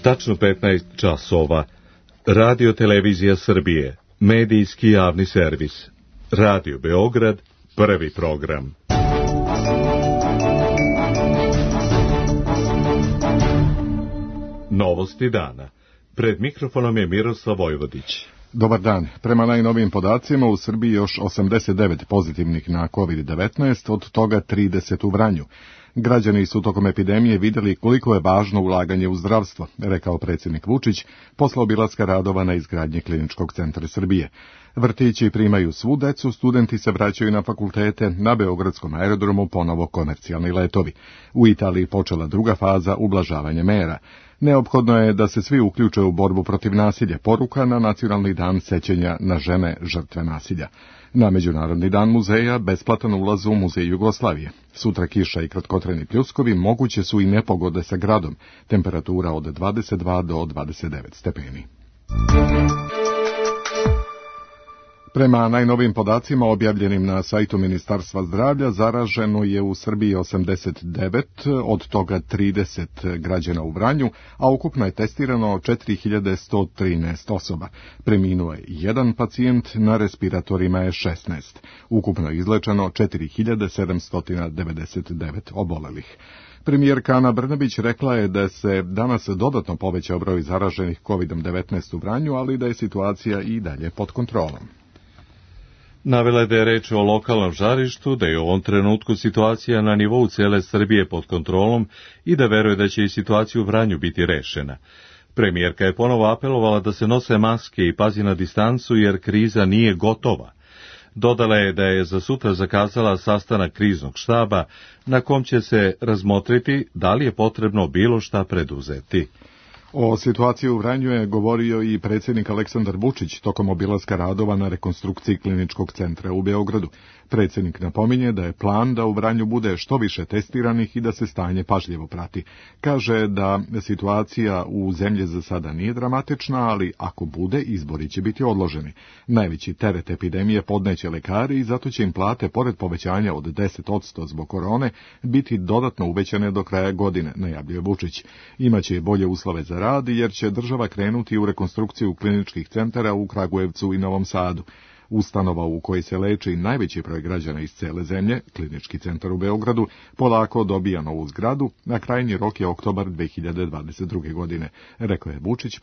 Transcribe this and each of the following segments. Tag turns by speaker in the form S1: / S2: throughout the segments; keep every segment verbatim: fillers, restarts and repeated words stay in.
S1: Tačno petnaest časova. Radio Televizija Srbije, medijski javni servis. Radio Beograd, prvi program. Novosti dana. Pred mikrofonom je Miroslav Vojvodić.
S2: Dobar dan. Prema najnovijim podacima u Srbiji još osamdeset devet pozitivnih na kovid devetnaest, od toga trideset u Vranju. Građani su tokom epidemije vidjeli koliko je važno ulaganje u zdravstvo, rekao predsjednik Vučić posle obilaska radova na izgradnji Kliničkog centra Srbije. Vrtići primaju svu decu, studenti se vraćaju na fakultete, na Beogradskom aerodromu ponovo komercijalni letovi. U Italiji počela druga faza ublažavanja mera. Neophodno je da se svi uključe u borbu protiv nasilja, poruka na Nacionalni dan sećanja na žene žrtve nasilja. Na Međunarodni dan muzeja besplatan ulaz u Muzej Jugoslavije. Sutra kiša i kratkotrajni pljuskovi, moguće su i nepogode sa gradom, temperatura od dvadeset dva do dvadeset devet stepeni. Prema najnovim podacima objavljenim na sajtu Ministarstva zdravlja, zaraženo je u Srbiji osamdeset devet, od toga trideset građana u Vranju, a ukupno je testirano četiri hiljade sto trinaest osoba. Preminuo je jedan pacijent, na respiratorima je šesnaest. Ukupno je izlečeno četiri hiljade sedamsto devedeset devet obolelih. Premijerka Ana Brnabić rekla je da se danas dodatno povećao broj zaraženih kovid devetnaest u Vranju, ali da je situacija i dalje pod kontrolom.
S1: Navela je da je reč o lokalnom žarištu, da je u ovom trenutku situacija na nivou cele Srbije pod kontrolom i da veruje da će i situacija u Vranju biti rešena. Premijerka je ponovo apelovala da se nose maske i pazi na distancu jer kriza nije gotova. Dodala je da je za sutra zakazala sastanak kriznog štaba na kom će se razmotriti da li je potrebno bilo šta preduzeti.
S2: O situaciji u Vranju je govorio i predsjednik Aleksandar Vučić tokom obilaska radova na rekonstrukciji Kliničkog centra u Beogradu. Predsjednik napominje da je plan da u Vranju bude što više testiranih i da se stanje pažljivo prati. Kaže da situacija u zemlji za sada nije dramatična, ali ako bude, izbori će biti odloženi. Najveći teret epidemije podneće lekari i zato će im plate, pored povećanja od deset posto zbog korone, biti dodatno uvećane do kraja godine, najavljuje Vučić. Imaće bolje uslove za rad jer će država krenuti u rekonstrukciju kliničkih centara u Kragujevcu i Novom Sadu. Ustanova u kojoj se leči najveći broj građana iz cele zemlje, Klinički centar u Beogradu, polako dobija novu zgradu, na krajnji rok je oktobar dve hiljade dvadeset druge. godine, rekao je Vučić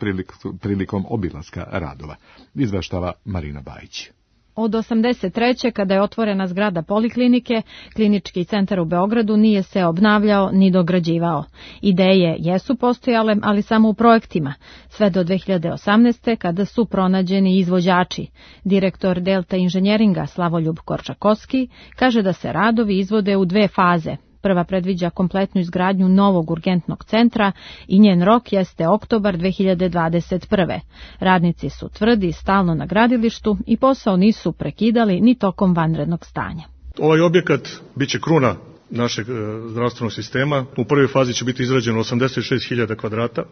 S2: prilikom obilaska radova. Izveštava Marina Bajić.
S3: Od osamdeset treće kada je otvorena zgrada poliklinike, Klinički centar u Beogradu nije se obnavljao ni dograđivao. Ideje jesu postojale, ali samo u projektima, sve do dve hiljade osamnaeste. kada su pronađeni izvođači. Direktor Delta inženjeringa Slavoljub Korčakovski kaže da se radovi izvode u dve faze. Prva predviđa kompletnu izgradnju novog urgentnog centra i njen rok jeste oktobar dve hiljade dvadeset prve. Radnici su tvrdi stalno na gradilištu i posao nisu prekidali ni tokom vanrednog stanja.
S4: Ovaj objekat biće kruna našeg zdravstvenog sistema. U prvoj fazi će biti izrađeno osamdeset šest hiljada kvadrata,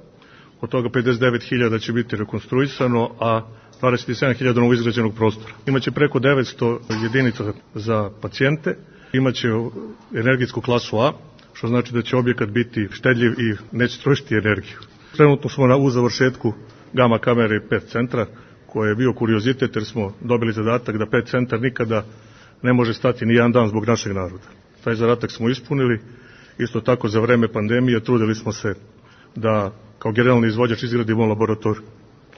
S4: od toga pedeset devet hiljada će biti rekonstruisano, a dvadeset sedam hiljada novo izgrađenog prostora. Imaće preko devetsto jedinica za pacijente. Imaće energetsku klasu A, što znači da će objekat biti štedljiv i neće trošiti energiju. Trenutno smo na, u završetku gama kamere pet centra, koje je bio kuriozitet jer smo dobili zadatak da pet centar nikada ne može stati ni jedan dan zbog našeg naroda. Taj zadatak smo ispunili. Isto tako za vreme pandemije trudili smo se da kao generalni izvođač izgradimo laboratoriju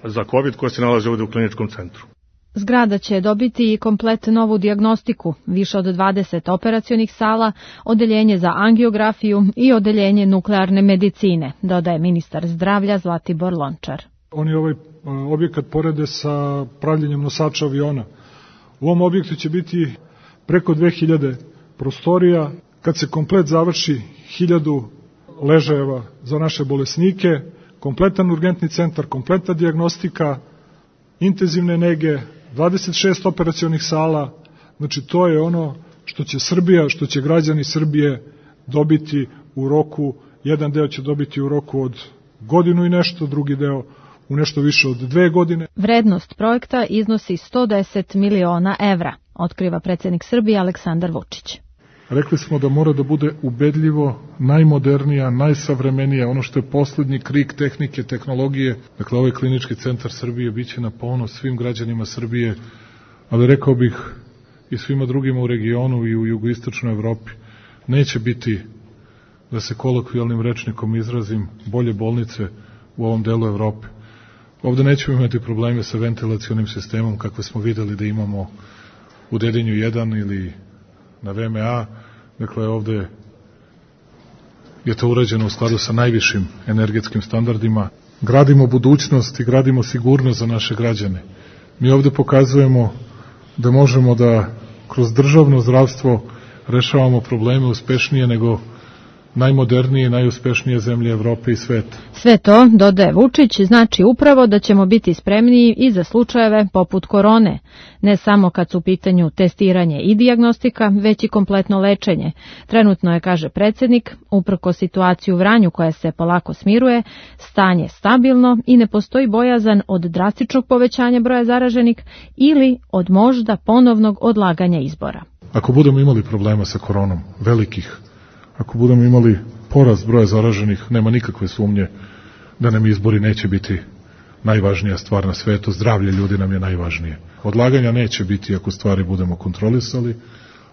S4: za COVID koja se nalazi ovdje u kliničkom centru.
S3: Zgrada će dobiti i komplet novu dijagnostiku, više od dvadeset operacionih sala, odeljenje za angiografiju i odeljenje nuklearne medicine, dodaje ministar zdravlja Zlatibor Lončar.
S5: Oni ovaj objekat porede sa pravljenjem nosača aviona. U ovom objektu će biti preko dve hiljade prostorija. Kad se komplet završi, hiljadu ležajeva za naše bolesnike, kompletan urgentni centar, kompletna dijagnostika, intenzivne nege, dvadeset šest operacionih sala, znači to je ono što će Srbija, što će građani Srbije dobiti u roku, jedan deo će dobiti u roku od godinu i nešto, drugi deo u nešto više od dve godine.
S3: Vrednost projekta iznosi sto deset miliona evra, otkriva predsjednik Srbije Aleksandar Vučić.
S5: Rekli smo da mora da bude ubedljivo najmodernija, najsavremenija, ono što je poslednji krik tehnike, tehnologije. Dakle, ovaj klinički centar Srbije biće na ponos svim građanima Srbije, ali rekao bih i svima drugima u regionu i u jugoistočnoj Evropi. Neće biti, da se kolokvijalnim rečnikom izrazim, bolje bolnice u ovom delu Evrope. Ovde nećemo imati probleme sa ventilacionim sistemom kakve smo videli da imamo u Dedinju jedan ili na V M A. Dakle, ovde je to urađeno u skladu sa najvišim energetskim standardima. Gradimo budućnost i gradimo sigurnost za naše građane. Mi ovde pokazujemo da možemo da kroz državno zdravstvo rešavamo probleme uspešnije nego najmodernije i najuspešnije zemlje Evrope i sveta.
S3: Sve to, dodaje Vučić, znači upravo da ćemo biti spremniji i za slučajeve poput korone, ne samo kad su u pitanju testiranje i dijagnostika, već i kompletno lečenje. Trenutno je, kaže predsjednik, uprko situaciju u Vranju koja se polako smiruje, stanje stabilno i ne postoji bojazan od drastičnog povećanja broja zaraženih ili od možda ponovnog odlaganja izbora.
S5: Ako budemo imali problema sa koronom, velikih, ako budemo imali porast broja zaraženih, nema nikakve sumnje da nam izbori neće biti najvažnija stvar na svetu, zdravlje ljudi nam je najvažnije. Odlaganja neće biti ako stvari budemo kontrolisali,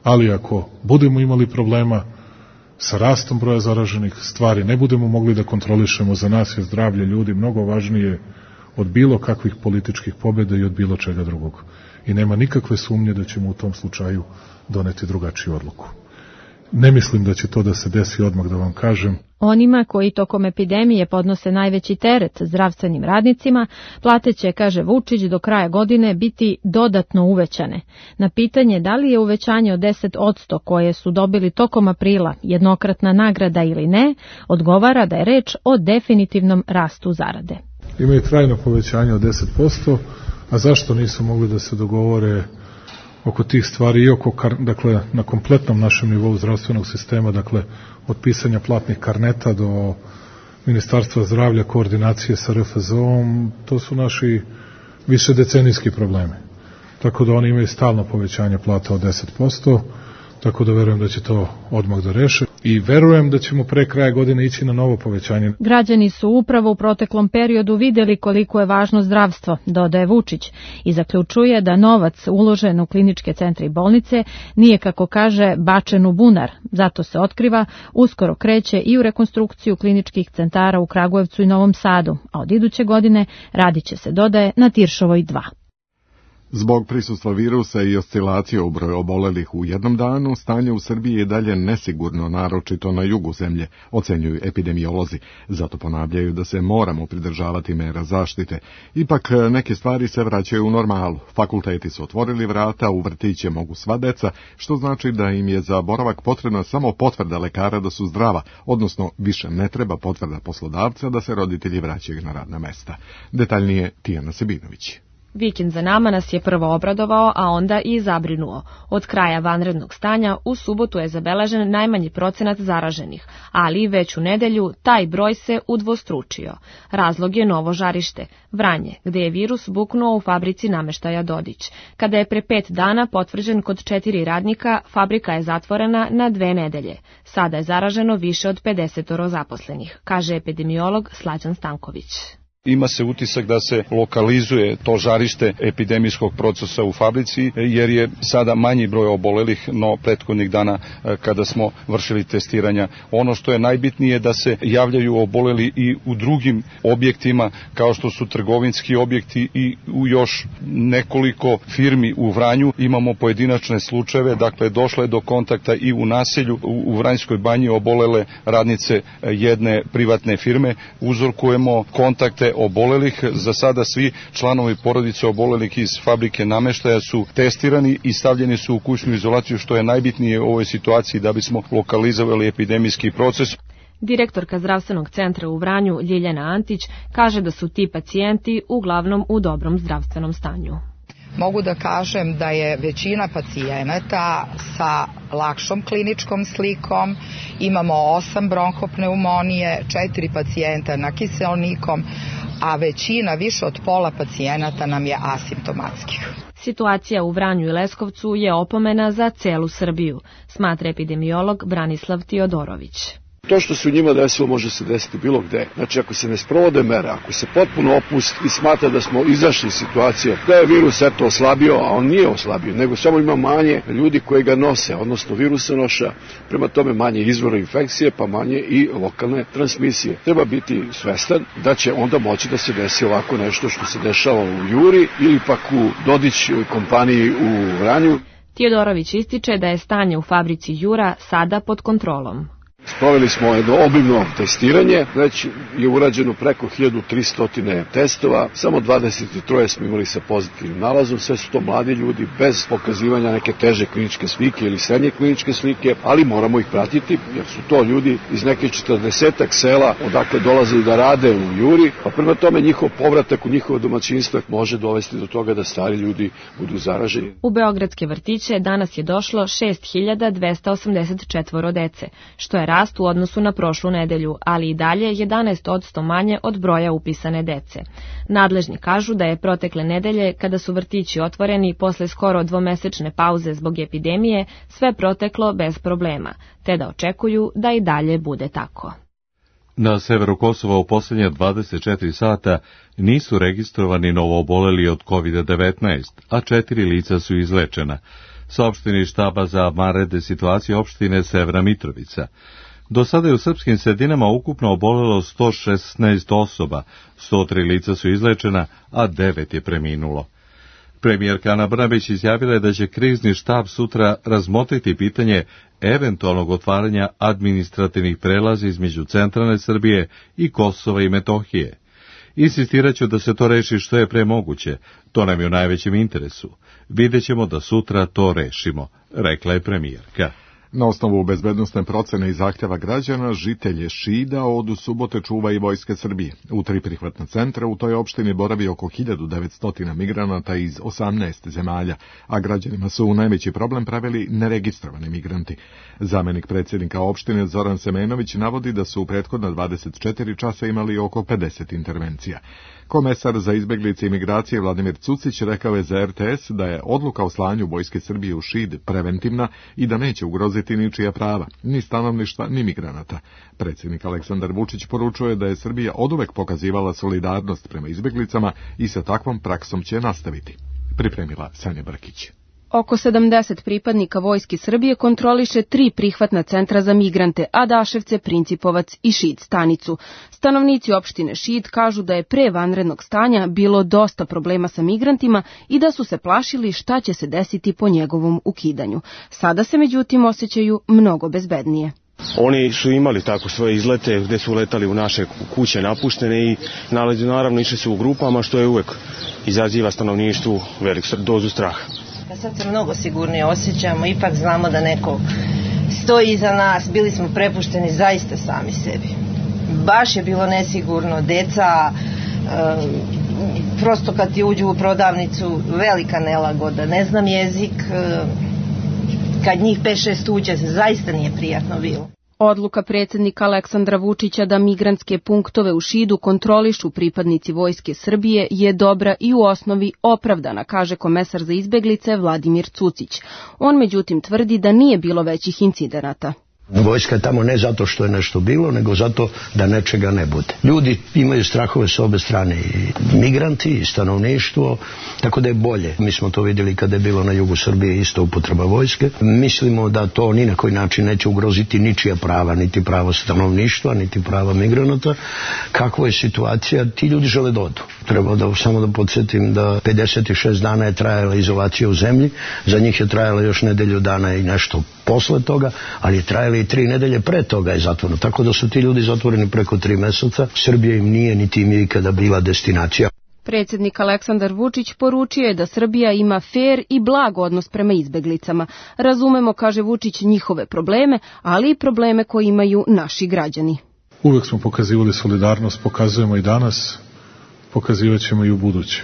S5: ali ako budemo imali problema sa rastom broja zaraženih, stvari ne budemo mogli da kontrolišemo, za nas je zdravlje ljudi mnogo važnije od bilo kakvih političkih pobjeda i od bilo čega drugog. I nema nikakve sumnje da ćemo u tom slučaju doneti drugačiju odluku. Ne mislim da će to da se desi odmah, da vam kažem.
S3: Onima koji tokom epidemije podnose najveći teret zdravstvenim radnicima, plate će, kaže Vučić, do kraja godine biti dodatno uvećane. Na pitanje da li je uvećanje od deset posto koje su dobili tokom aprila jednokratna nagrada ili ne, odgovara da je reč o definitivnom rastu zarade.
S5: Imaju trajno povećanje od deset posto, a zašto nisu mogli da se dogovore oko tih stvari i oko, dakle, na kompletnom našem nivou zdravstvenog sistema, dakle, od pisanja platnih karneta do Ministarstva zdravlja, koordinacije sa R F Z O-om, to su naši višedecenijski problemi. Tako da oni imaju stalno povećanje plata od deset posto, tako da verujem da će to odmah da reše i verujem da ćemo pre kraja godine ići na novo povećanje.
S3: Građani su upravo u proteklom periodu videli koliko je važno zdravstvo, dodaje Vučić, i zaključuje da novac uložen u kliničke centre i bolnice nije, kako kaže, bačen u bunar. Zato se otkriva, uskoro kreće i u rekonstrukciju kliničkih centara u Kragujevcu i Novom Sadu, a od iduće godine radit će se, dodaje, na Tiršovoj dva.
S2: Zbog prisustva virusa i oscilacije u broju obolelih u jednom danu, stanje u Srbiji je dalje nesigurno, naročito na jugu zemlje, ocenjuju epidemiolozi. Zato ponavljaju da se moramo pridržavati mera zaštite. Ipak neke stvari se vraćaju u normalu. Fakulteti su otvorili vrata, u vrtiće mogu sva deca, što znači da im je za boravak potrebna samo potvrda lekara da su zdrava, odnosno više ne treba potvrda poslodavca da se roditelji vraćaju na radna mesta. Detaljnije Tijana Sebinović.
S6: Vikend za nama nas je prvo obradovao, a onda i zabrinuo. Od kraja vanrednog stanja u subotu je zabeležen najmanji procenat zaraženih, ali već u nedelju taj broj se udvostručio. Razlog je novo žarište, Vranje, gde je virus buknuo u fabrici nameštaja Dodić. Kada je pre pet dana potvrđen kod četiri radnika, fabrika je zatvorena na dve nedelje. Sada je zaraženo više od pedeset zaposlenih, kaže epidemiolog Slađan Stanković.
S7: Ima se utisak da se lokalizuje to žarište epidemijskog procesa u fabrici, jer je sada manji broj obolelih no prethodnih dana kada smo vršili testiranja. Ono što je najbitnije da se javljaju oboleli i u drugim objektima, kao što su trgovinski objekti i u još nekoliko firmi u Vranju. Imamo pojedinačne slučajeve, dakle došlo je do kontakta i u naselju, u Vranjskoj banji obolele radnice jedne privatne firme. Uzorkujemo kontakte obolelih. Za sada svi članovi porodice obolelih iz fabrike nameštaja su testirani i stavljeni su u kućnu izolaciju, što je najbitnije u ovoj situaciji da bismo lokalizovali epidemijski proces.
S6: Direktorka zdravstvenog centra u Vranju, Ljiljana Antić, kaže da su ti pacijenti uglavnom u dobrom zdravstvenom stanju.
S8: Mogu da kažem da je većina pacijenata sa lakšom kliničkom slikom, imamo osam bronhopneumonije, četiri pacijenta na kiseonikom, a većina, više od pola pacijenata nam je asimptomatskih.
S6: Situacija u Vranju i Leskovcu je opomena za celu Srbiju, smatra epidemiolog Branislav Tiodorović.
S9: To što se u njima desilo može se desiti bilo gde. Znači, ako se ne sprovode mere, ako se potpuno opusti i smatra da smo izašli iz situacije, da je virus eto oslabio, a on nije oslabio, nego samo ima manje ljudi koji ga nose, odnosno virusa noša, prema tome manje izvora infekcije, pa manje i lokalne transmisije. Treba biti svestan da će onda moći da se desi ovako nešto što se dešava u Juri ili pak u Dodić kompaniji u Vranju.
S6: Tiodorović ističe da je stanje u fabrici Jura sada pod kontrolom.
S9: Sproveli smo jedno obimno testiranje, već je urađeno preko hiljadu tristo testova, samo dvadeset tri smo imali sa pozitivnim nalazom, sve su to mladi ljudi bez pokazivanja neke teže kliničke slike ili srednje kliničke slike, ali moramo ih pratiti jer su to ljudi iz nekih četrdesetak sela odakle dolaze da rade u Juri, pa prema tome njihov povratak u njihovo domaćinstvo može dovesti do toga da stari ljudi budu zaraženi.
S6: U beogradske vrtiće danas je došlo šest hiljada dvesta osamdeset četvoro dece, što je rast u odnosu na prošlu nedelju, ali i dalje jedanaest posto manje od broja upisane dece. Nadležni kažu da je protekle nedelje, kada su vrtići otvoreni posle skoro dvomesečne pauze zbog epidemije, sve proteklo bez problema, te da očekuju da i dalje bude tako.
S1: Na severu Kosova u posljednje dvadeset četiri sata nisu registrovani novooboleli od kovid devetnaest, a četiri lica su izlečena, saopšteni štaba za vanredne situacije opštine Severna Mitrovica. Do sada je u srpskim sredinama ukupno obolelo sto šesnaest osoba, sto tri lica su izlečena, a devet je preminulo. Premijerka Ana Brnabić izjavila je da će krizni štab sutra razmotriti pitanje eventualnog otvaranja administrativnih prelaza između centralne Srbije i Kosova i Metohije. Insistiraću da se to reši što je pre moguće, to nam je u najvećem interesu. Vidjet ćemo da sutra to rešimo, rekla je premijerka.
S2: Na osnovu bezbednosne procene i zahtjeva građana, žitelje Šida od subote čuva i Vojske Srbije. U tri prihvatna centra u toj opštini boravi oko hiljadu devetsto migranata iz osamnaest zemalja, a građanima su u najveći problem pravili neregistrovani migranti. Zamenik predsjednika opštine Zoran Semenović navodi da su u prethodna dvadeset četiri časa imali oko pedeset intervencija. Komesar za izbeglice i migracije Vladimir Cucić rekao je za er te es da je odluka o slanju Vojske Srbije u Šid preventivna i da neće ugroziti ničija prava, ni stanovništva, ni migranata. Predsjednik Aleksandar Vučić poručuje da je Srbija oduvek pokazivala solidarnost prema izbeglicama i sa takvom praksom će nastaviti. Pripremila Sanja Brkić.
S10: Oko sedamdeset pripadnika Vojske Srbije kontroliše tri prihvatna centra za migrante, Adaševce, Principovac i Šid stanicu. Stanovnici opštine Šid kažu da je pre vanrednog stanja bilo dosta problema sa migrantima i da su se plašili šta će se desiti po njegovom ukidanju. Sada se međutim osjećaju mnogo bezbednije.
S11: Oni su imali tako svoje izlete gde su letali u naše kuće napuštene i nalazi, naravno išli su u grupama, što je uvek izaziva stanovništvu veliku dozu straha.
S12: Sad se mnogo sigurnije osjećamo, ipak znamo da neko stoji iza nas, bili smo prepušteni zaista sami sebi. Baš je bilo nesigurno, deca, e, prosto kad ti uđu u prodavnicu, velika nelagoda, ne znam jezik, e, kad njih pet šest uđe, zaista nije prijatno bilo.
S10: Odluka predsjednika Aleksandra Vučića da migrantske punktove u Šidu kontrolišu pripadnici Vojske Srbije je dobra i u osnovi opravdana, kaže komesar za izbeglice Vladimir Cucić. On međutim tvrdi da nije bilo većih incidenata.
S13: Vojska je tamo ne zato što je nešto bilo, nego zato da nečega ne bude. Ljudi imaju strahove s obe strane, i migranti, i stanovništvo, tako da je bolje. Mi smo to vidjeli kada je bilo na jugu Srbije isto upotreba vojske. Mislimo da to ni na koji način neće ugroziti ničija prava, niti pravo stanovništva, niti prava migranata. Kakva je situacija? Ti ljudi žele da odu. Treba da samo da podsjetim da pedeset šest dana je trajala izolacija u zemlji, za njih je trajala još nedelju dana i nešto posle toga, ali je trajala i tri nedelje pre toga je zatvoreno. Tako da su ti ljudi zatvoreni preko tri meseca. Srbija im nije niti im je ikada bila destinacija.
S10: Predsjednik Aleksandar Vučić poručio je da Srbija ima fer i blag odnos prema izbeglicama. Razumemo, kaže Vučić, njihove probleme, ali i probleme koje imaju naši građani.
S5: Uvek smo pokazivali solidarnost, pokazujemo i danas, pokazivat ćemo i u buduće.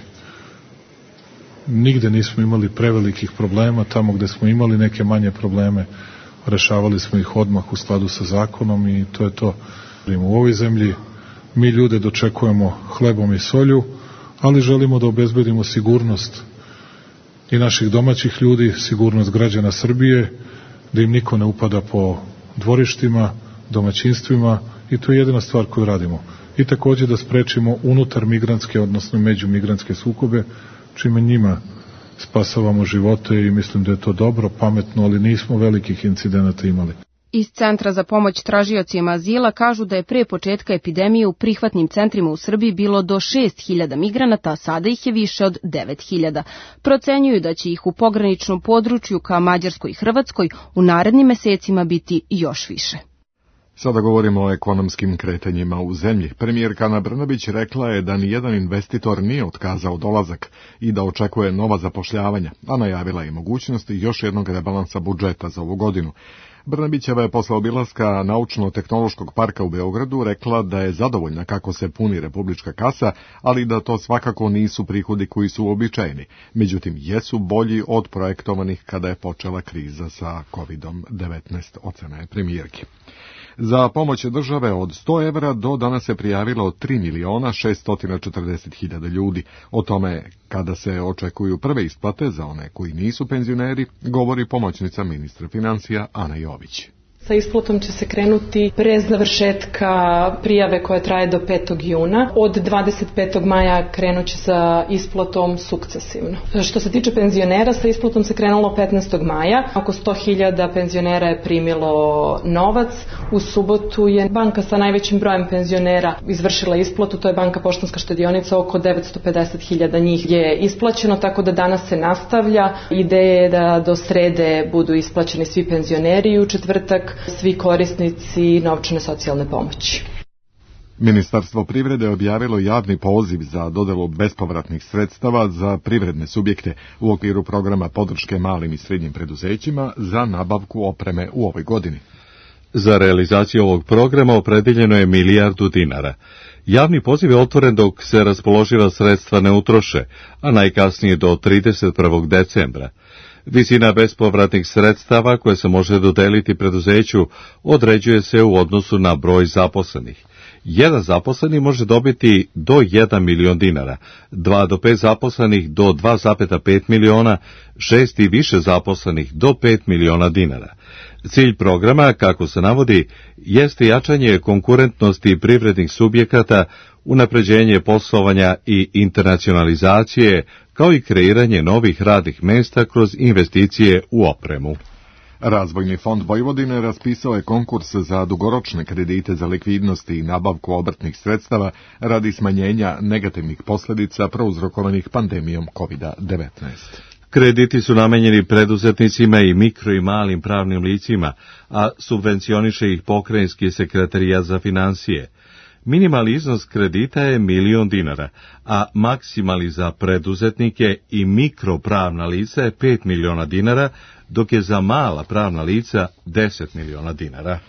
S5: Nigde nismo imali prevelikih problema, tamo gde smo imali neke manje probleme, rešavali smo ih odmah u skladu sa zakonom i to je to. U ovoj zemlji mi ljude dočekujemo hlebom i solju, ali želimo da obezbedimo sigurnost i naših domaćih ljudi, sigurnost građana Srbije, da im niko ne upada po dvorištima, domaćinstvima, i to je jedina stvar koju radimo. I takođe da sprečimo unutar migrantske, odnosno međumigrantske sukobe, čime njima spasavamo živote i mislim da je to dobro, pametno, ali nismo velikih incidenata imali.
S10: Iz Centra za pomoć tražiocima azila kažu da je pre početka epidemije u prihvatnim centrima u Srbiji bilo do šest hiljada migranata, a sada ih je više od devet hiljada. Procenjuju da će ih u pograničnom području ka Mađarskoj i Hrvatskoj u narednim mesecima biti još više.
S2: Sada govorimo o ekonomskim kretanjima u zemlji. Premijerka Ana Brnabić rekla je da nijedan investitor nije otkazao dolazak i da očekuje nova zapošljavanja, a najavila je mogućnost još jednog rebalansa budžeta za ovu godinu. Brnabićeva je posle obilaska Naučno-tehnološkog parka u Beogradu rekla da je zadovoljna kako se puni republička kasa, ali da to svakako nisu prihodi koji su uobičajeni. Međutim, jesu bolji od projektovanih kada je počela kriza sa kovidom devetnaest, ocena je premijerki. Za pomoć države od sto evra do danas se prijavilo tri miliona šesto četrdeset hiljada ljudi. O tome kada se očekuju prve isplate za one koji nisu penzioneri, govori pomoćnica ministra financija Ana Jović.
S14: Sa isplatom će se krenuti pre završetka prijave koja traje do petog juna. Od dvadeset petog maja krenut će sa isplatom sukcesivno. Što se tiče penzionera, sa isplatom se krenulo petnaestog maja. Oko sto hiljada penzionera je primilo novac. U subotu je banka sa najvećim brojem penzionera izvršila isplatu, to je Banka Poštanska štedionica, oko devetsto pedeset hiljada njih je isplaćeno, tako da danas se nastavlja. Ideja je da do srede budu isplaćeni svi penzioneri i u četvrtak svi korisnici novčane socijalne pomoći.
S2: Ministarstvo privrede objavilo javni poziv za dodelu bespovratnih sredstava za privredne subjekte u okviru programa podrške malim i srednjim preduzećima za nabavku opreme u ovoj godini.
S1: Za realizaciju ovog programa opredeljeno je milijardu dinara. Javni poziv je otvoren dok se raspoloživa sredstva ne utroše, a najkasnije do trideset prvog decembra. Visina bespovratnih sredstava koje se može dodeliti preduzeću određuje se u odnosu na broj zaposlenih. Jedan zaposleni može dobiti do jedan milion dinara, dva do pet zaposlenih do dva zarez pet miliona, šest i više zaposlenih do pet miliona dinara. Cilj programa, kako se navodi, jeste jačanje konkurentnosti privrednih subjekata, unapređenje poslovanja i internacionalizacije, kao i kreiranje novih radnih mesta kroz investicije u opremu.
S2: Razvojni fond Vojvodine raspisao je konkurs za dugoročne kredite za likvidnost i nabavku obrtnih sredstava radi smanjenja negativnih posljedica prouzrokovanih pandemijom kovid devetnaest.
S1: Krediti su namenjeni preduzetnicima i mikro i malim pravnim licima, a subvencioniše ih pokrajinski sekretarijat za financije. Minimalni iznos kredita je milion dinara, a maksimali za preduzetnike i mikropravna lica je pet miliona dinara, dok je za mala pravna lica deset miliona dinara.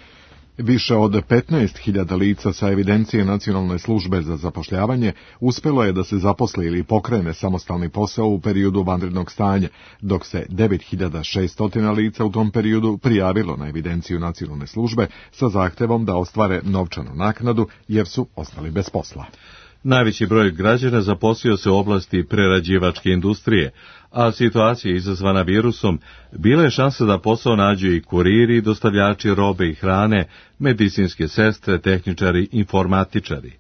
S2: Više od petnaest hiljada lica sa evidencije Nacionalne službe za zapošljavanje uspelo je da se zaposli ili pokrene samostalni posao u periodu vanrednog stanja, dok se devet hiljada šesto lica u tom periodu prijavilo na evidenciju Nacionalne službe sa zahtevom da ostvare novčanu naknadu jer su ostali bez posla.
S1: Najveći broj građana zaposlio se u oblasti prerađivačke industrije, a situacija izazvana virusom bila je šansa da posao nađu i kuriri, dostavljači robe i hrane, medicinske sestre, tehničari, informatičari.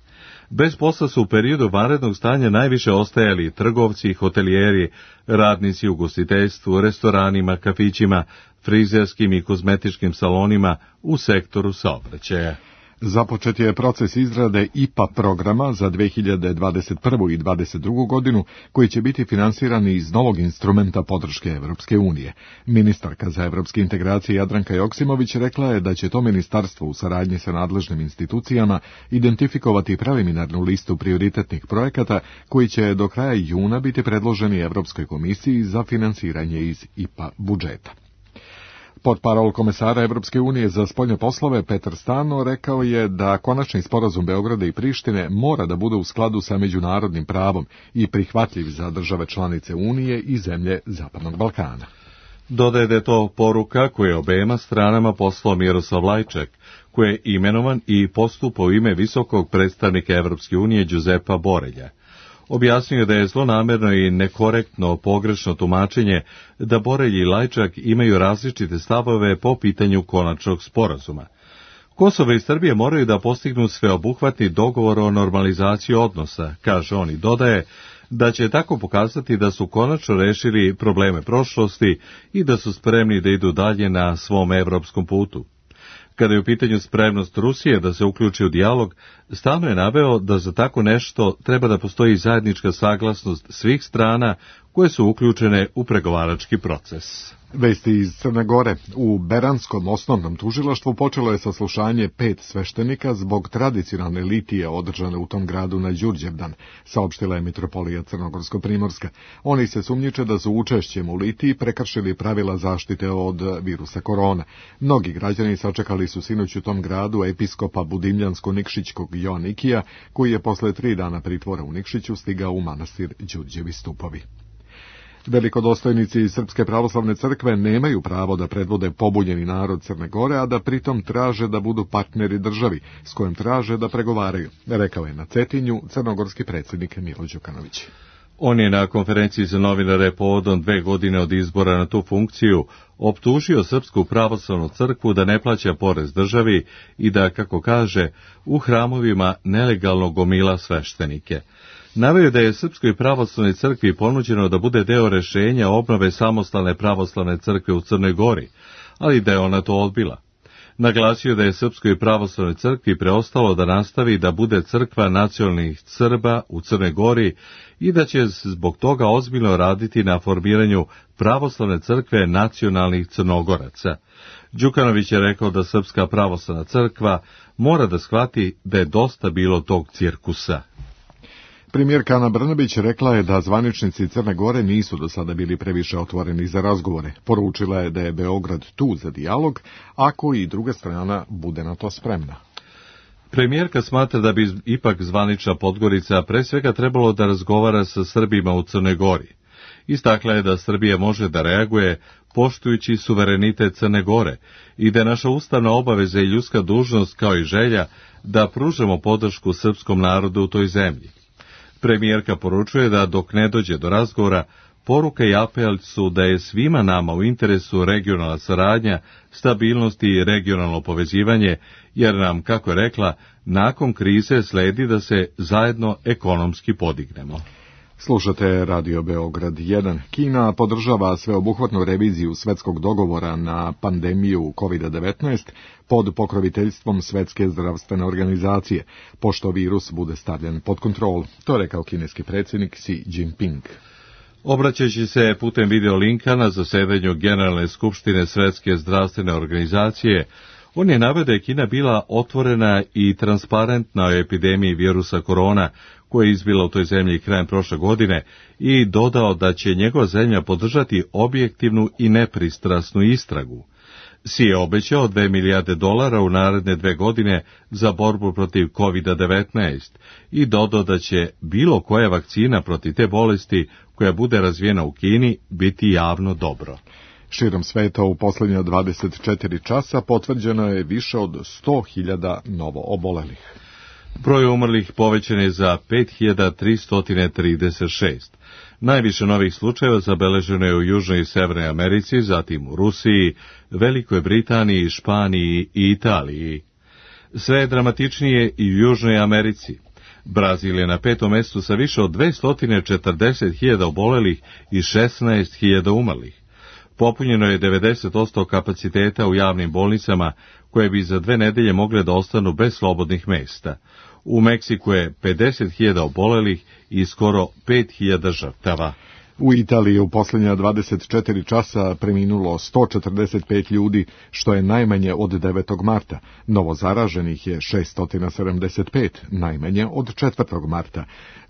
S1: Bez posla su u periodu vanrednog stanja najviše ostajali trgovci, hotelijeri, radnici u ugostiteljstvu, restoranima, kafićima, frizerskim i kozmetičkim salonima u sektoru saobraćaja.
S2: Započet je proces izrade I P A programa za dve hiljade dvadeset prvu i dvadeset drugu godinu, koji će biti finansirani iz novog instrumenta podrške Evropske unije. Ministarka za evropske integracije Jadranka Joksimović rekla je da će to ministarstvo u saradnji sa nadležnim institucijama identifikovati preliminarnu listu prioritetnih projekata koji će do kraja juna biti predloženi Evropskoj komisiji za finansiranje iz I P A budžeta. Portparol komesara Evropske unije za spoljne poslove Petar Stano rekao je da konačni sporazum Beograda i Prištine mora da bude u skladu sa međunarodnim pravom i prihvatljiv za države članice Unije i zemlje Zapadnog Balkana.
S1: Dodaje da je to poruka koje je obema stranama poslao Miroslav Lajčak, koji je imenovan i postupa u ime visokog predstavnika Evropske unije Đuzepa Borelja. Objasnio je da je zlonamerno i nekorektno pogrešno tumačenje da Borelj i Lajčak imaju različite stavove po pitanju konačnog sporazuma. Kosovo i Srbije moraju da postignu sveobuhvatni dogovor o normalizaciji odnosa, kaže on i dodaje da će tako pokazati da su konačno rešili probleme prošlosti i da su spremni da idu dalje na svom evropskom putu. Kada je u pitanju spremnost Rusije da se uključi u dijalog, stalno je naveo da za tako nešto treba da postoji zajednička saglasnost svih strana koje su uključene u pregovarački proces.
S2: Vesti iz Crne Gore. U Beranskom osnovnom tužilaštvu počelo je saslušanje pet sveštenika zbog tradicionalne litije održane u tom gradu na Đurđevdan, saopštila je mitropolija Crnogorsko-Primorska. Oni se sumnjiče da su učešćem u litiji prekršili pravila zaštite od virusa korona. Mnogi građani sačekali su sinoć u tom gradu episkopa Budimljansko-Nikšićkog Joanikija, koji je posle tri dana pritvora u Nikšiću stigao u manastir Đurđevi stupovi. Velikodostojnici Srpske pravoslavne crkve nemaju pravo da predvode pobunjeni narod Crne Gore, a da pritom traže da budu partneri državi, s kojim traže da pregovaraju, rekao je na Cetinju crnogorski predsjednik Milo Đukanović.
S1: On je na konferenciji za novinare povodom dve godine od izbora na tu funkciju optužio Srpsku pravoslavnu crkvu da ne plaća porez državi i da, kako kaže, u hramovima nelegalno gomila sveštenike. Naveo da je Srpskoj pravoslavnoj crkvi ponuđeno da bude deo rešenja obnove samostalne pravoslavne crkve u Crnoj Gori, ali da je ona to odbila. Naglasio da je Srpskoj pravoslavnoj crkvi preostalo da nastavi da bude crkva nacionalnih Srba u Crnoj Gori i da će zbog toga ozbiljno raditi na formiranju pravoslavne crkve nacionalnih Crnogoraca. Đukanović je rekao da Srpska pravoslavna crkva mora da shvati da je dosta bilo tog cirkusa.
S2: Premijerka Ana Brnabić rekla je da zvaničnici Crne Gore nisu do sada bili previše otvoreni za razgovore. Poručila je da je Beograd tu za dijalog, ako i druga strana bude na to spremna.
S1: Premijerka smatra da bi ipak zvanična Podgorica pre svega trebalo da razgovara sa Srbima u Crnoj Gori. Istakla je da Srbija može da reaguje poštujući suverenitet Crne Gore i da je naša ustavna obaveza i ljudska dužnost kao i želja da pružamo podršku srpskom narodu u toj zemlji. Premijerka poručuje da dok ne dođe do razgovora, poruka i apel su da je svima nama u interesu regionalna saradnja, stabilnost i regionalno povezivanje, jer nam, kako je rekla, nakon krize sledi da se zajedno ekonomski podignemo.
S2: Slušate Radio Beograd jedan. Kina podržava sveobuhvatnu reviziju svetskog dogovora na pandemiju kovid devetnaest pod pokroviteljstvom Svetske zdravstvene organizacije, pošto virus bude stavljen pod kontrolu. To je rekao kineski predsjednik Xi Jinping.
S1: Obraćajući se putem videolinka na zasedanju Generalne skupštine Svetske zdravstvene organizacije, on je naveo da je Kina bila otvorena i transparentna o epidemiji virusa korona, koja je izbila u toj zemlji krajem prošle godine, i dodao da će njegova zemlja podržati objektivnu i nepristrasnu istragu. Si je obećao dve milijarde dolara u naredne dve godine za borbu protiv kovid devetnaest i dodao da će bilo koja vakcina protiv te bolesti koja bude razvijena u Kini biti javno dobro.
S2: Širom sveta u posljednja dvadeset četiri časa potvrđeno je više od sto hiljada novo obolelih.
S1: Broj umrlih povećan je za pet hiljada tristo trideset šest. Najviše novih slučajeva zabeleženo je u Južnoj i Severnoj Americi, zatim u Rusiji, Velikoj Britaniji, Španiji i Italiji. Sve je dramatičnije i u Južnoj Americi. Brazil je na petom mestu sa više od dvesta četrdeset hiljada obolelih i šesnaest hiljada umrlih. Popunjeno je devedeset posto kapaciteta u javnim bolnicama, koje bi za dve nedelje mogle da ostanu bez slobodnih mesta. U Meksiku je pedeset hiljada obolelih i skoro pet hiljada žrtava.
S2: U Italiji u posljednja dvadeset četiri časa preminulo sto četrdeset pet ljudi, što je najmanje od devetog marta. Novo zaraženih je šessto sedamdeset pet, najmanje od četvrtog marta.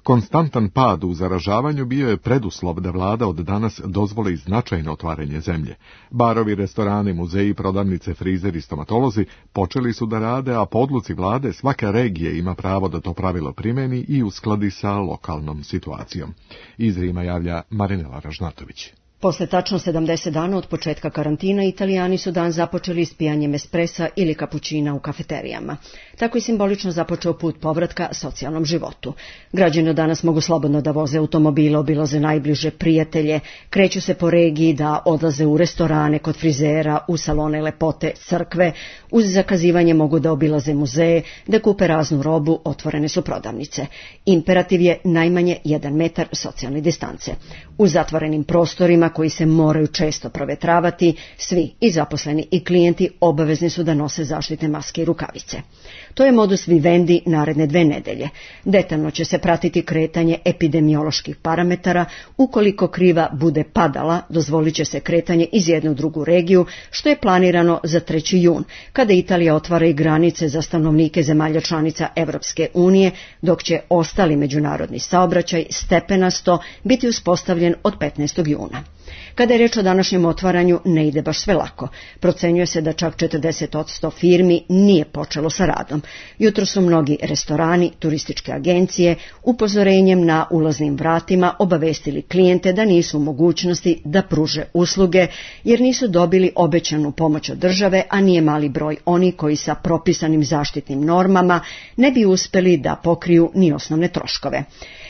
S2: Konstantan pad u zaražavanju bio je preduslov da vlada od danas dozvoli značajno otvaranje zemlje. Barovi, restorani, muzeji, prodavnice, frizeri i stomatolozi počeli su da rade, a po odluci vlade svaka regija ima pravo da to pravilo primeni i uskladi sa lokalnom situacijom. Iz Rima javlja Marinela Ražnatović.
S15: Posle tačno sedamdeset dana od početka karantina, Italijani su dan započeli ispijanjem espresa ili kapućina u kafeterijama. Tako je simbolično započeo put povratka socijalnom životu. Građani danas mogu slobodno da voze automobile, obilaze najbliže prijatelje, kreću se po regiji, da odlaze u restorane, kod frizera, u salone lepote, crkve, uz zakazivanje mogu da obilaze muzeje, da kupe raznu robu, otvorene su prodavnice. Imperativ je najmanje jedan metar socijalne distance. U zatvorenim prostorima koji se moraju često provetravati, svi, i zaposleni i klijenti, obavezni su da nose zaštitne maske i rukavice. To je modus vivendi naredne dve nedelje. Detaljno će se pratiti kretanje epidemioloških parametara. Ukoliko kriva bude padala, dozvolit će se kretanje iz jedne u drugu regiju, što je planirano za treći jun, kada Italija otvara i granice za stanovnike zemalja članica Evropske unije, dok će ostali međunarodni saobraćaj stepenasto biti uspostavljen od petnaestog juna. Kada je reč o današnjem otvaranju, ne ide baš sve lako. Procenjuje se da čak četrdeset posto firmi nije počelo sa radom. Jutro su mnogi restorani, turističke agencije, upozorenjem na ulaznim vratima obavestili klijente da nisu u mogućnosti da pruže usluge, jer nisu dobili obećanu pomoć od države, a nije mali broj oni koji sa propisanim zaštitnim normama ne bi uspeli da pokriju ni osnovne troškove.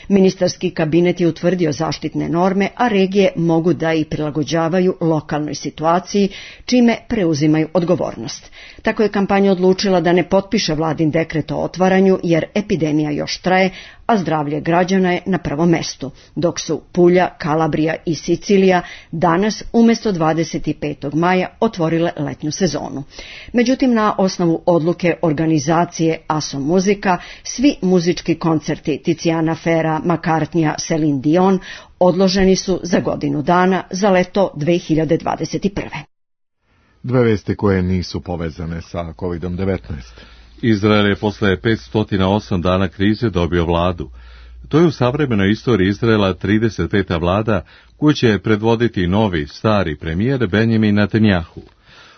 S15: Ministarski kabinet je utvrdio zaštitne norme, a regije mogu da i prilagođavaju lokalnoj situaciji, čime preuzimaju odgovornost. Tako je kampanja odlučila da ne potpiše vladin dekret o otvaranju, jer epidemija još traje, a zdravlje građana je na prvom mestu, dok su Pulja, Kalabrija i Sicilija danas umjesto dvadeset petog maja otvorile letnju sezonu. Međutim, na osnovu odluke organizacije Aso Muzika, svi muzički koncerti Tiziana Ferra, McCartneya, Celine Dion odloženi su za godinu dana, za leto dve hiljade dvadeset prve.
S2: Dve vesti koje nisu povezane sa kovid devetnaest.
S1: Izrael je posle petsto osam dana krize dobio vladu. To je u savremenoj istoriji Izraela trideset peta vlada koju će predvoditi novi, stari premijer Benjamin Netanjahu.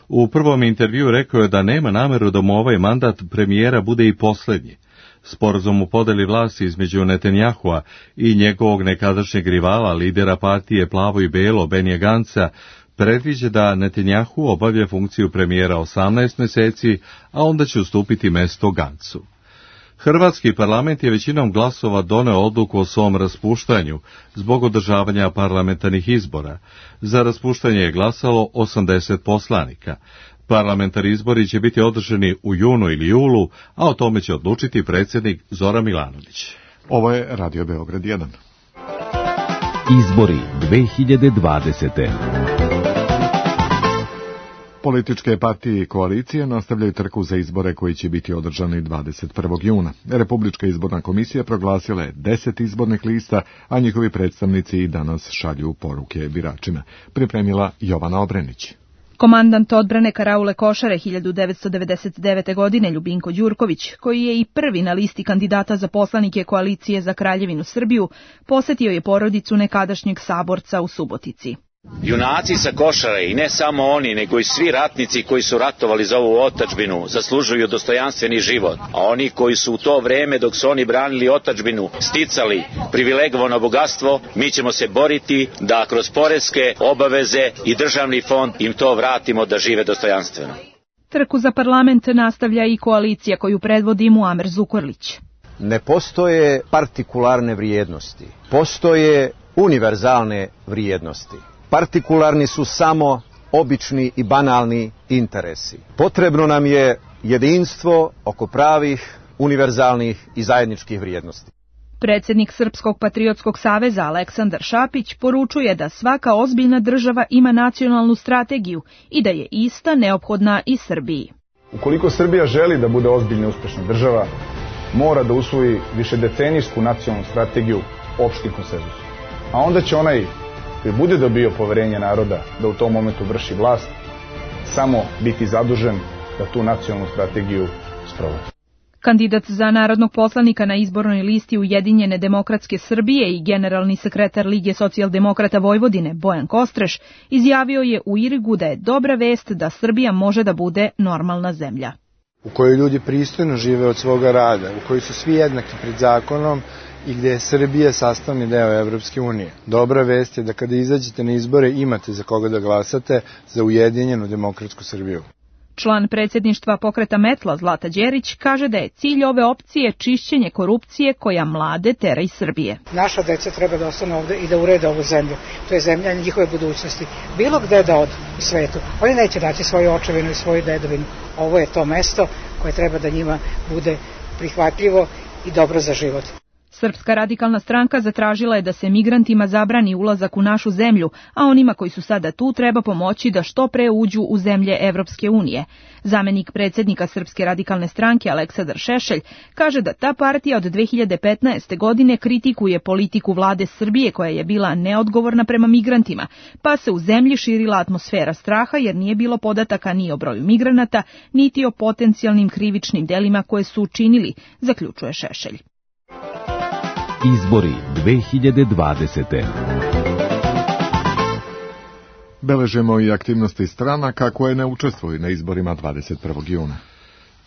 S1: U prvom intervju rekao je da nema nameru da mu ovaj mandat premijera bude i posljednji. Sporazum u podeli vlasti između Netanjahua i njegovog nekadašnjeg rivala, lidera partije Plavo i Belo, Benija Ganca, predviđa da Netanjahu obavlja funkciju premijera osamnaest meseci, a onda će ustupiti mesto Gancu. Hrvatski parlament je većinom glasova doneo odluku o svom raspuštanju zbog održavanja parlamentarnih izbora. Za raspuštanje je glasalo osamdeset poslanika. Parlamentarni izbori će biti održani u junu ili julu, a o tome će odlučiti predsjednik Zoran Milanović.
S2: Ovo je Radio Beograd jedan.
S16: Izbori dve hiljade dvadesete.
S2: Političke partije i koalicije nastavljaju trku za izbore koji će biti održani dvadeset prvog juna. Republička izborna komisija proglasila je deset izbornih lista, a njihovi predstavnici i danas šalju poruke biračima. Pripremila Jovana Obrenić.
S17: Komandant odbrane Karaule Košare hiljadu devetsto devedeset devete. godine Ljubinko Đurković, koji je i prvi na listi kandidata za poslanike koalicije za Kraljevinu Srbiju, posetio je porodicu nekadašnjeg saborca u Subotici.
S18: Junaci sa Košare, i ne samo oni, nego i svi ratnici koji su ratovali za ovu otadžbinu, zaslužuju dostojanstveni život. A oni koji su u to vreme, dok su oni branili otadžbinu, sticali privilegovano bogatstvo, mi ćemo se boriti da kroz poreske obaveze i državni fond im to vratimo da žive dostojanstveno.
S17: Trku za parlament nastavlja i koalicija koju predvodi Muamer Zukorlić.
S19: Ne postoje partikularne vrijednosti, postoje univerzalne vrijednosti. Partikularni su samo obični i banalni interesi. Potrebno nam je jedinstvo oko pravih, univerzalnih i zajedničkih vrijednosti.
S17: Predsjednik Srpskog patriotskog saveza Aleksandar Šapić poručuje da svaka ozbiljna država ima nacionalnu strategiju i da je ista neophodna i Srbiji.
S20: Ukoliko Srbija želi da bude ozbiljna i uspešna država, mora da usvoji višedecenijsku nacionalnu strategiju opštim konsenzusom. A onda će onaj koji bude dobio poverenje naroda da u tom momentu vrši vlast, samo biti zadužen da tu nacionalnu strategiju sprovodi.
S17: Kandidat za narodnog poslanika na izbornoj listi Ujedinjene demokratske Srbije i generalni sekretar Lige socijaldemokrata Vojvodine Bojan Kostreš izjavio je u Irigu da je dobra vest da Srbija može da bude normalna zemlja.
S21: U kojoj ljudi pristojno žive od svoga rada, u kojoj su svi jednaki pred zakonom i gde je Srbija sastavni deo Evropske unije. Dobra vest je da kada izađete na izbore imate za koga da glasate za ujedinjenu demokratsku Srbiju.
S17: Član predsjedništva pokreta Metla Zlata Đerić kaže da je cilj ove opcije čišćenje korupcije koja mlade tera iz Srbije.
S22: Naša deca treba da ostane ovde i da urede ovu zemlju. To je zemlja njihove budućnosti. Bilo gde da odu u svetu, oni neće naći svoju očevinu i svoju dedovinu. Ovo je to mesto koje treba da njima bude prihvatljivo i dobro za život.
S17: Srpska radikalna stranka zatražila je da se migrantima zabrani ulazak u našu zemlju, a onima koji su sada tu treba pomoći da što pre uđu u zemlje Evropske unije. Zamenik predsjednika Srpske radikalne stranke Aleksandar Šešelj kaže da ta partija od dve hiljade petnaeste. godine kritikuje politiku vlade Srbije koja je bila neodgovorna prema migrantima, pa se u zemlji širila atmosfera straha jer nije bilo podataka ni o broju migranata, niti o potencijalnim krivičnim delima koje su učinili, zaključuje Šešelj.
S16: Izbori dve hiljade dvadesete.
S2: Beležemo i aktivnosti stranaka koje ne učestvuju na izborima dvadeset prvog juna.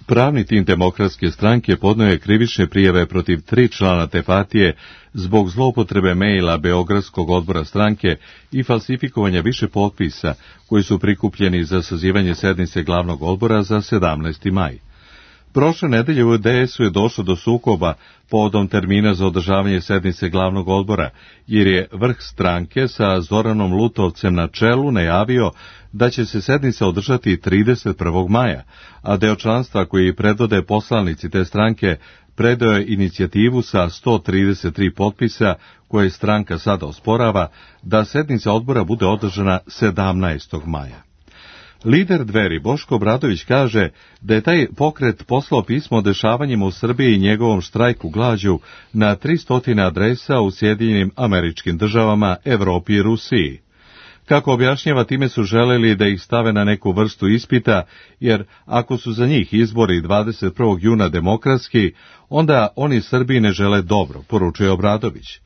S1: Pravni tim Demokratske stranke podneo je krivične prijave protiv tri člana te partije zbog zloupotrebe mejla Beogradskog odbora stranke i falsifikovanja više potpisa koji su prikupljeni za sazivanje sednice glavnog odbora za sedamnaesti maj. Prošle nedelje u D S U je došlo do sukoba povodom termina za održavanje sednice glavnog odbora, jer je vrh stranke sa Zoranom Lutovcem na čelu najavio da će se sednica održati trideset prvog maja, a deo članstva koji predvode poslanici te stranke predao je inicijativu sa sto trideset tri potpisa koje stranka sada osporava da sednica odbora bude održana sedamnaestog maja. Lider Dveri Boško Obradović kaže da je taj pokret poslao pismo o dešavanjima u Srbiji i njegovom štrajku glađu na tristo adresa u Sjedinjenim Američkim Državama, Evropi i Rusiji. Kako objašnjava, time su želeli da ih stave na neku vrstu ispita, jer ako su za njih izbori dvadeset prvog juna demokratski, onda oni Srbiji ne žele dobro, poručuje Obradović.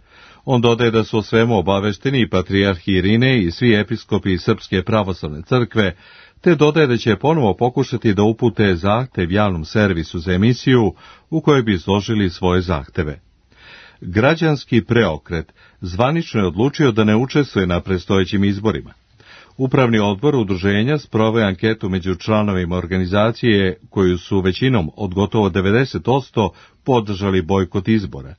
S1: On dodaje da su o svemu obavešteni i patrijarh Irine i svi episkopi Srpske pravoslavne crkve, te dodaje da će ponovo pokušati da upute zahtev javnom servisu za emisiju u kojoj bi izložili svoje zahteve. Građanski preokret zvanično je odlučio da ne učestvuje na predstojećim izborima. Upravni odbor udruženja sproveo je anketu među članovima organizacije koju su većinom od gotovo devedeset posto podržali bojkot izbora.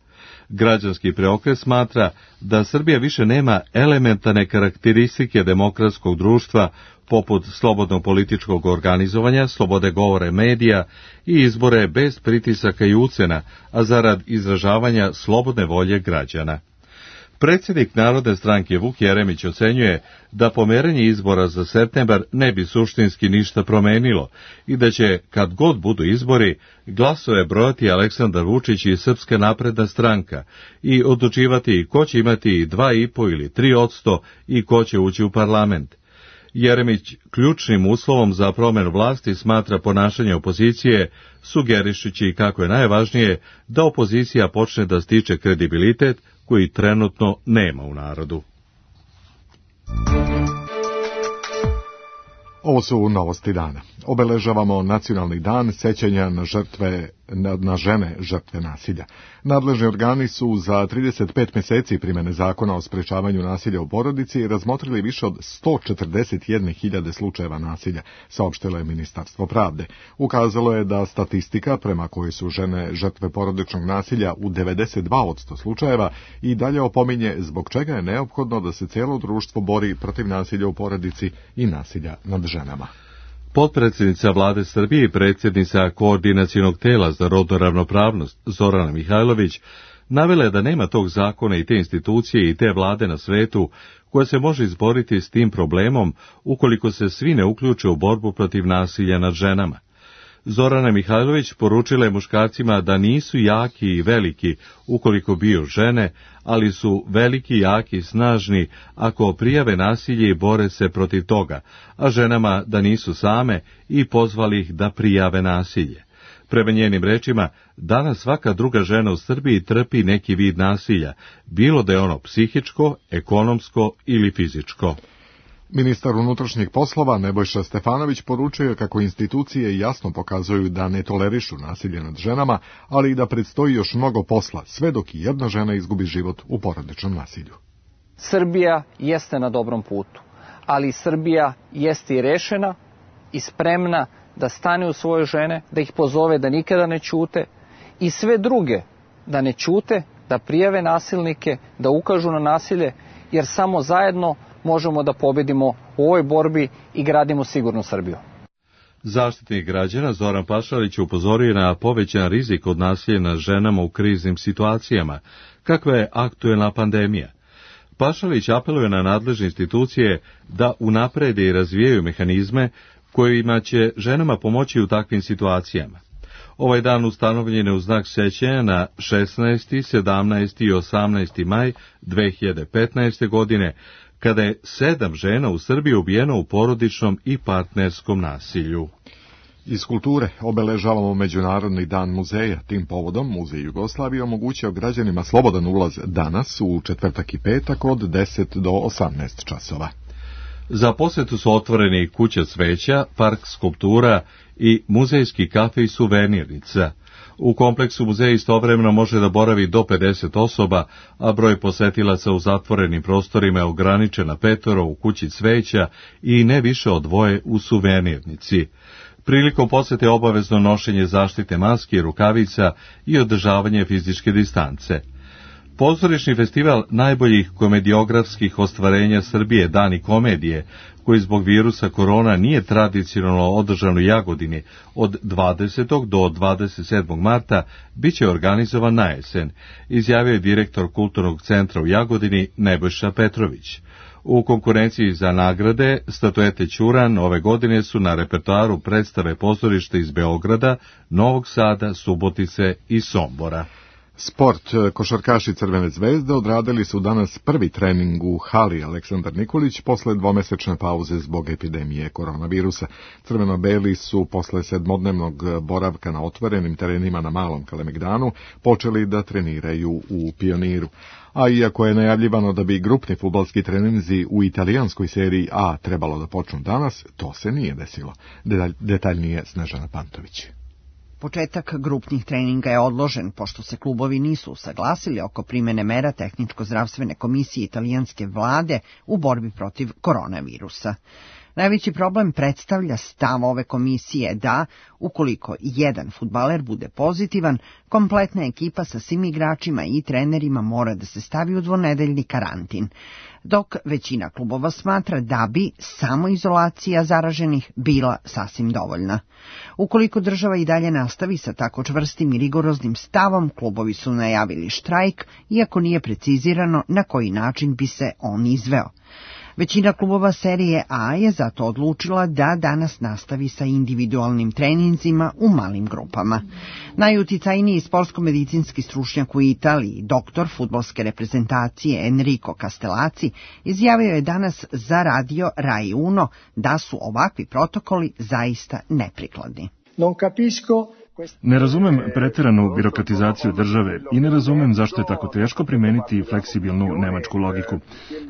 S1: Građanski preokret smatra da Srbija više nema elementarne karakteristike demokratskog društva poput slobodnog političkog organizovanja, slobode govore medija i izbore bez pritisaka i ucena, a zarad izražavanja slobodne volje građana. Predsjednik Narodne stranke Vuk Jeremić ocenjuje da pomeranje izbora za septembar ne bi suštinski ništa promenilo i da će, kad god budu izbori, glasove brojati Aleksandar Vučić i Srpska napredna stranka i odlučivati ko će imati dva i po ili tri odsto i ko će ući u parlament. Jeremić ključnim uslovom za promjenu vlasti smatra ponašanje opozicije, sugerišući kako je najvažnije da opozicija počne da stiče kredibilitet koji trenutno nema u narodu.
S2: Ovo su novosti dana. Obeležavamo nacionalni dan sećanja na žrtve, na, na žene žrtve nasilja. Nadležni organi su za trideset pet meseci primene zakona o sprečavanju nasilja u porodici razmotrili više od sto četrdeset jedne hiljade slučajeva nasilja, saopštilo je Ministarstvo pravde. Ukazalo je da statistika prema kojoj su žene žrtve porodičnog nasilja u devedeset dva posto slučajeva i dalje opominje zbog čega je neophodno da se cijelo društvo bori protiv nasilja u porodici i nasilja nad ženama.
S1: Potpredsjednica vlade Srbije i predsjednica Koordinacionog tela za rodnu ravnopravnost Zorana Mihajlović navela je da nema tog zakona i te institucije i te vlade na svetu koja se može izboriti s tim problemom ukoliko se svi ne uključe u borbu protiv nasilja nad ženama. Zorana Mihajlović poručila je muškarcima da nisu jaki i veliki ukoliko biju žene, ali su veliki, jaki i snažni ako prijave nasilje i bore se protiv toga, a ženama da nisu same i pozvali ih da prijave nasilje. Prema njenim rečima, danas svaka druga žena u Srbiji trpi neki vid nasilja, bilo da je ono psihičko, ekonomsko ili fizičko.
S2: Ministar unutrašnjih poslova Nebojša Stefanović poručio kako institucije jasno pokazuju da ne tolerišu nasilje nad ženama, ali i da predstoji još mnogo posla, sve dok i jedna žena izgubi život u porodičnom nasilju.
S3: Srbija jeste na dobrom putu, ali Srbija jeste i rešena i spremna da stane u svoje žene, da ih pozove da nikada ne ćute i sve druge da ne ćute, da prijave nasilnike, da ukažu na nasilje, jer samo zajedno možemo da pobedimo u ovoj borbi i gradimo sigurnu Srbiju.
S1: Zaštitnik građana Zoran Pašalić upozorio na povećan rizik od nasilja nad ženama u kriznim situacijama, kakva je aktuelna pandemija. Pašalić apeluje na nadležne institucije da unaprede i razvijaju mehanizme kojima će ženama pomoći u takvim situacijama. Ovaj dan ustanovljen je u znak sećanja na šesnaesti, sedamnaesti i osamnaesti maj dve hiljade petnaeste. godine, kada je sedam žena u Srbiji ubijeno u porodičnom i partnerskom nasilju.
S2: Iz kulture obeležavamo Međunarodni dan muzeja. Tim povodom Muzej Jugoslavije omogućio građanima slobodan ulaz danas u četvrtak i petak od deset do osamnaest časova.
S1: Za posetu su otvoreni kuća cveća, park skulptura i muzejski kafe i suvenirnica. U kompleksu muzeja istovremeno može da boravi do pedeset osoba, a broj posetilaca u zatvorenim prostorima je ograničen na petoro u kući cveća i ne više od dvoje u suvenirnici. Prilikom posete obavezno nošenje zaštite maske i rukavica i održavanje fizičke distance. Pozorišni festival najboljih komediografskih ostvarenja Srbije Dani komedije, koji zbog virusa korona nije tradicionalno održan u Jagodini od dvadesetog do dvadeset sedmog marta, bit će organizovan na jesen, izjavio je direktor Kulturnog centra u Jagodini Nebojša Petrović. U konkurenciji za nagrade statuete Ćuran ove godine su na repertoaru predstave pozorišta iz Beograda, Novog Sada, Subotice i Sombora.
S2: Sport. Košarkaši Crvene zvezde odradili su danas prvi trening u hali Aleksandar Nikolić posle dvomesečne pauze zbog epidemije koronavirusa. Crveno-beli su posle sedmodnevnog boravka na otvorenim terenima na Malom Kalemegdanu počeli da treniraju u Pioniru. A iako je najavljivano da bi grupni fudbalski treninzi u italijanskoj seriji A trebalo da počnu danas, to se nije desilo. Detaljnije Snežana Pantović.
S4: Početak grupnih treninga je odložen, pošto se klubovi nisu usaglasili oko primene mera tehničko-zdravstvene komisije italijanske vlade u borbi protiv koronavirusa. Najveći problem predstavlja stav ove komisije da, ukoliko jedan fudbaler bude pozitivan, kompletna ekipa sa svim igračima i trenerima mora da se stavi u dvonedeljni karantin, dok većina klubova smatra da bi samoizolacija zaraženih bila sasvim dovoljna. Ukoliko država i dalje nastavi sa tako čvrstim i rigoroznim stavom, klubovi su najavili štrajk, iako nije precizirano na koji način bi se on izveo. Većina klubova serije A je zato odlučila da danas nastavi sa individualnim treninzima u malim grupama. Najuticajniji sportsko-medicinski stručnjak u Italiji, doktor fudbalske reprezentacije Enrico Castellazzi, izjavio je danas za radio Rai Uno da su ovakvi protokoli zaista neprikladni.
S23: Non capisco
S24: Ne razumem preteranu birokratizaciju države i ne razumem zašto je tako teško primeniti fleksibilnu nemačku logiku.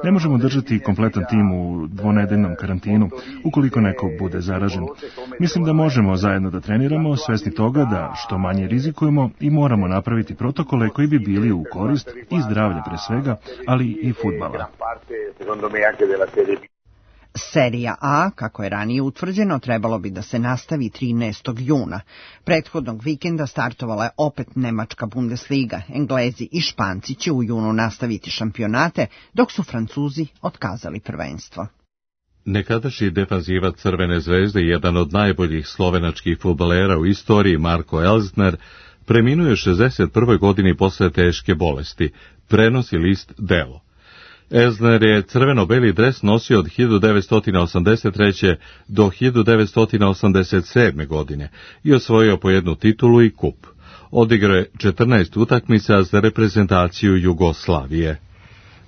S24: Ne možemo držati kompletan tim u dvonedeljnom karantinu ukoliko neko bude zaražen. Mislim da možemo zajedno da treniramo, svesni toga da što manje rizikujemo i moramo napraviti protokole koji bi bili u korist i zdravlja pre svega, ali i fudbala.
S4: Serija A, kako je ranije utvrđeno, trebalo bi da se nastavi trinaestog juna. Prethodnog vikenda startovala je opet Nemačka Bundesliga. Englezi i Španci će u junu nastaviti šampionate, dok su Francuzi otkazali prvenstvo.
S1: Nekadašnji defanzivac Crvene zvezde, jedan od najboljih slovenačkih fudbalera u istoriji, Marko Elsner, preminuo je u šezdeset prvoj godini posle teške bolesti, prenosi list Delo. Elsner je crveno-beli dres nosio od hiljadu devetsto osamdeset treće. do hiljadu devetsto osamdeset sedme. godine i osvojio po jednu titulu i kup. Odigrao je četrnaest utakmica za reprezentaciju Jugoslavije.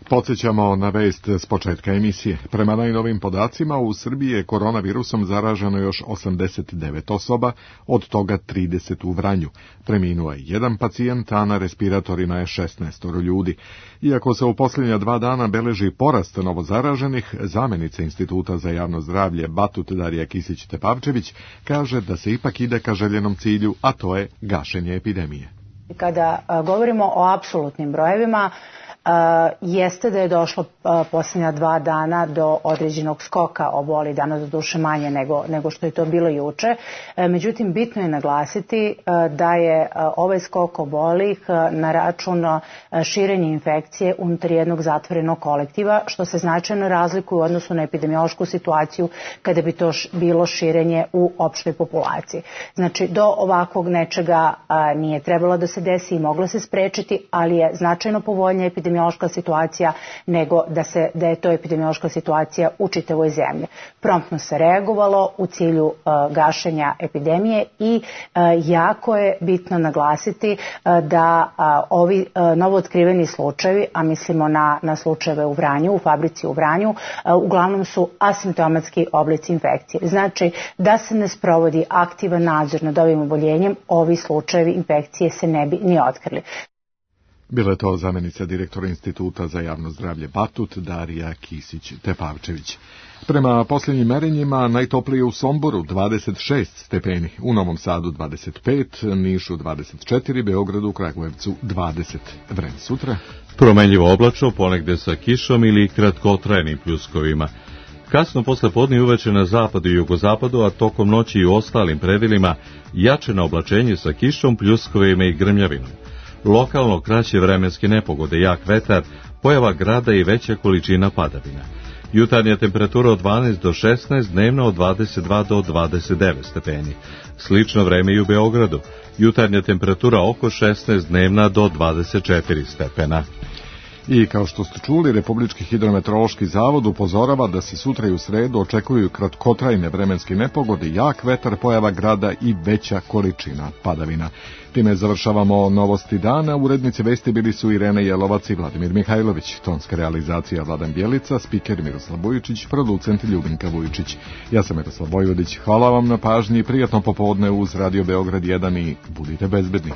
S2: Podsjećamo na vest s početka emisije. Prema najnovim podacima, u Srbiji je koronavirusom zaraženo još osamdeset devet osoba, od toga trideset u Vranju. Preminuo je jedan pacijent, a na respiratorima je šesnaest ljudi. Iako se u posljednja dva dana beleži porast novozaraženih, zamenica Instituta za javno zdravlje Batut Darija Kisić-Tepavčević kaže da se ipak ide ka željenom cilju, a to je gašenje epidemije.
S7: Kada govorimo o apsolutnim brojevima, Uh, jeste da je došlo uh, posljednja dva dana do određenog skoka oboli, danas do duše manje nego, nego što je to bilo juče. Uh, međutim, bitno je naglasiti uh, da je uh, ovaj skok obolih uh, na račun uh, širenja infekcije unutar jednog zatvorenog kolektiva, što se značajno razlikuje u odnosu na epidemiološku situaciju kada bi to š, bilo širenje u opštoj populaciji. Znači, do ovakvog nečega uh, nije trebalo da se desi i moglo se sprečiti, ali je značajno povoljnija epidemiološka epidemiološka situacija nego da, se, da je to epidemiološka situacija u čitavoj zemlji. Promptno se reagovalo u cilju uh, gašenja epidemije i uh, jako je bitno naglasiti uh, da uh, ovi uh, novootkriveni slučajevi, a mislimo na, na slučajeve u Vranju, u fabrici u Vranju, uh, uglavnom su asimptomatski oblici infekcije. Znači da se ne sprovodi aktivan nadzor nad ovim oboljenjem, ovi slučajevi infekcije se ne bi ni otkrili.
S2: Bila je to zamenica direktora Instituta za javno zdravlje Batut Darija Kisić-Tepavčević. Prema posljednjim merenjima najtoplije u Somboru dvadeset šest stepeni, u Novom Sadu dvadeset pet, Nišu dvadeset četiri, Beogradu, Kragujevcu dvadeset. Vreme sutra.
S1: Promenljivo oblačno, ponegde sa kišom ili kratkotrajnim pljuskovima. Kasno posle podne i uveče na zapadu i jugozapadu, a tokom noći i u ostalim predelima, jače na oblačenje sa kišom, pljuskovima i grmljavinom. Lokalno kraće vremenske nepogode, jak vetar, pojava grada i veća količina padavina. Jutarnja temperatura od dvanaest do šesnaest, dnevno od dvadeset dva do dvadeset devet stepeni. Slično vreme i u Beogradu. Jutarnja temperatura oko šesnaest, dnevna do dvadeset četiri stepena.
S2: I kao što ste čuli, Republički hidrometeorološki zavod upozorava da se sutra i u sredu očekuju kratkotrajne vremenske nepogode, jak vetar, pojava grada i veća količina padavina. Time završavamo novosti dana. Urednici vesti bili su Irena Jelovac i Vladimir Mihajlović. Tonska realizacija Vladan Bjelica, spiker Miroslav Vujičić, producent Ljubinka Vujičić. Ja sam Miroslav Vojvodić. Hvala vam na pažnji, prijatno popodne uz Radio Beograd jedan i budite bezbedni.